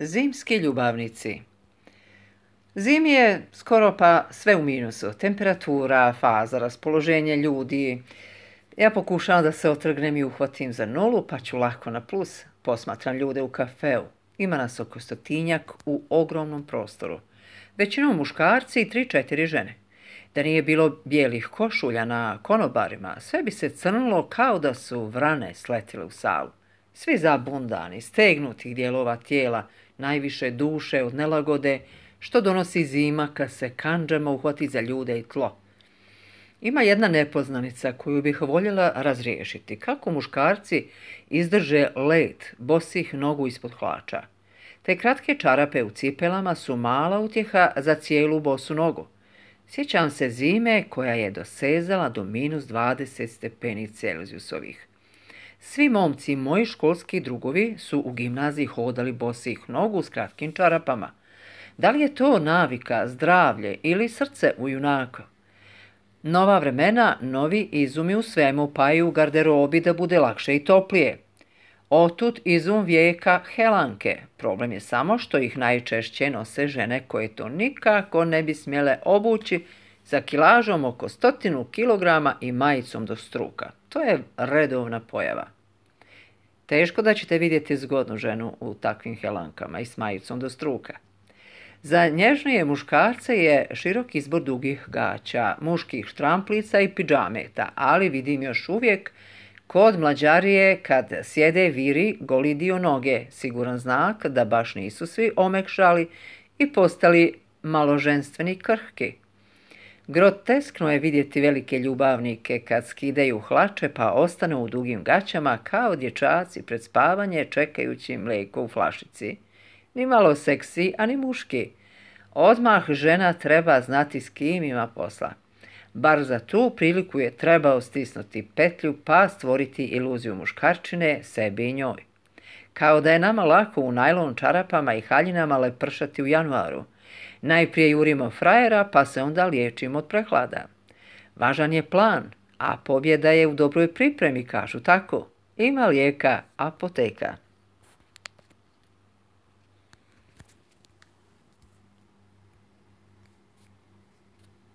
Zimski ljubavnici. Zimi je skoro pa sve u minusu. Temperatura, faza, raspoloženje ljudi. Ja pokušavam da se otrgnem i uhvatim za nulu, pa ću lako na plus. Posmatram ljude u kafeu. Ima nas oko 100 u ogromnom prostoru. Većinom muškarci i 3-4 žene. Da nije bilo bijelih košulja na konobarima, sve bi se crnilo kao da su vrane sletile u salu. Svi zabundani, stegnutih dijelova tijela, najviše duše od nelagode, što donosi zima kad se kandžama uhvati za ljude i tlo. Ima jedna nepoznanica koju bih voljela razriješiti. Kako muškarci izdrže let bosih nogu ispod hlača. Te kratke čarape u cipelama su mala utjeha za cijelu bosu nogu. Sjećam se zime koja je dosezala do -20 stepeni Celzijusovih. Svi momci, moji školski drugovi, su u gimnaziji hodali bosih nogu s kratkim čarapama. Da li je to navika, zdravlje ili srce u junaka? Nova vremena, novi izumi u svemu, pa i u garderobi da bude lakše i toplije. Otud izum vijeka helanke. Problem je samo što ih najčešće nose žene koje to nikako ne bi smjele obući sa kilažom oko 100 kilograma i majicom do struka. To je redovna pojava. Teško da ćete vidjeti zgodnu ženu u takvim helankama i s majicom do struka. Za nježnije muškarce je širok izbor dugih gaća, muških štramplica i pidžameta, ali vidim još uvijek kod mlađarije kad sjede viri goli dio noge, siguran znak da baš nisu svi omekšali i postali malo ženstveni krhki. Groteskno je vidjeti velike ljubavnike kad skidaju hlače pa ostanu u dugim gaćama kao dječaci pred spavanje čekajući mlijeko u flašici. Ni malo seksi, a ni muški. Odmah žena treba znati s kim ima posla. Bar za tu priliku je trebao stisnuti petlju pa stvoriti iluziju muškarčine sebi i njoj. Kao da je nama lako u najlon čarapama i haljinama lepršati u januaru. Najprije jurimo frajera pa se onda liječimo od prehlada. Važan je plan, a pobjeda je u dobroj pripremi, kažu tako. Ima lijeka, apoteka.